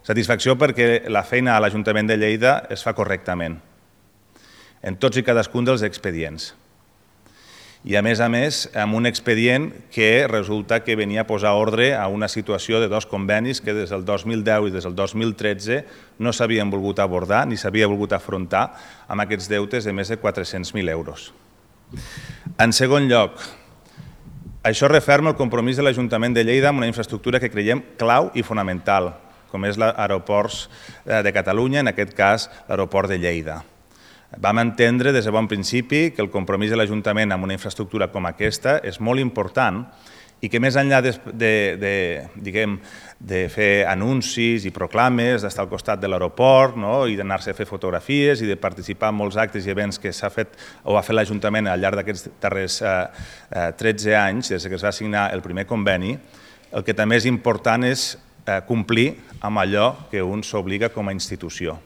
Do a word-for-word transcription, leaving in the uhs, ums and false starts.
Satisfacció perquè la feina a l'Ajuntament de Lleida es fa correctament, en tots i cadascun dels expedients. I a més a més, amb un expedient que resulta que venia a posar ordre a una situació de dos convenis que des del dos mil deu i des del dos mil tretze no s'havien volgut abordar ni s'havia volgut afrontar amb aquests deutes de més de quatre-cents mil euros. En segon lloc, això referma el compromís de l'Ajuntament de Lleida amb una infraestructura que creiem clau i fonamental, com és l'aeroport de Catalunya, en aquest cas l'aeroport de Lleida. Vam entendre des de bon principi que el compromís de l'Ajuntament amb una infraestructura com aquesta és molt important i que més enllà de, de, de, diguem, de fer anuncis i proclames, d'estar al costat de l'aeroport, no? I d'anar-se a fer fotografies i de participar en molts actes i events que s'ha fet o ha fet l'Ajuntament al llarg d'aquests darrers eh, eh, tretze anys, des que es va signar el primer conveni, el que també és important és eh, complir amb allò que un s'obliga com a institució.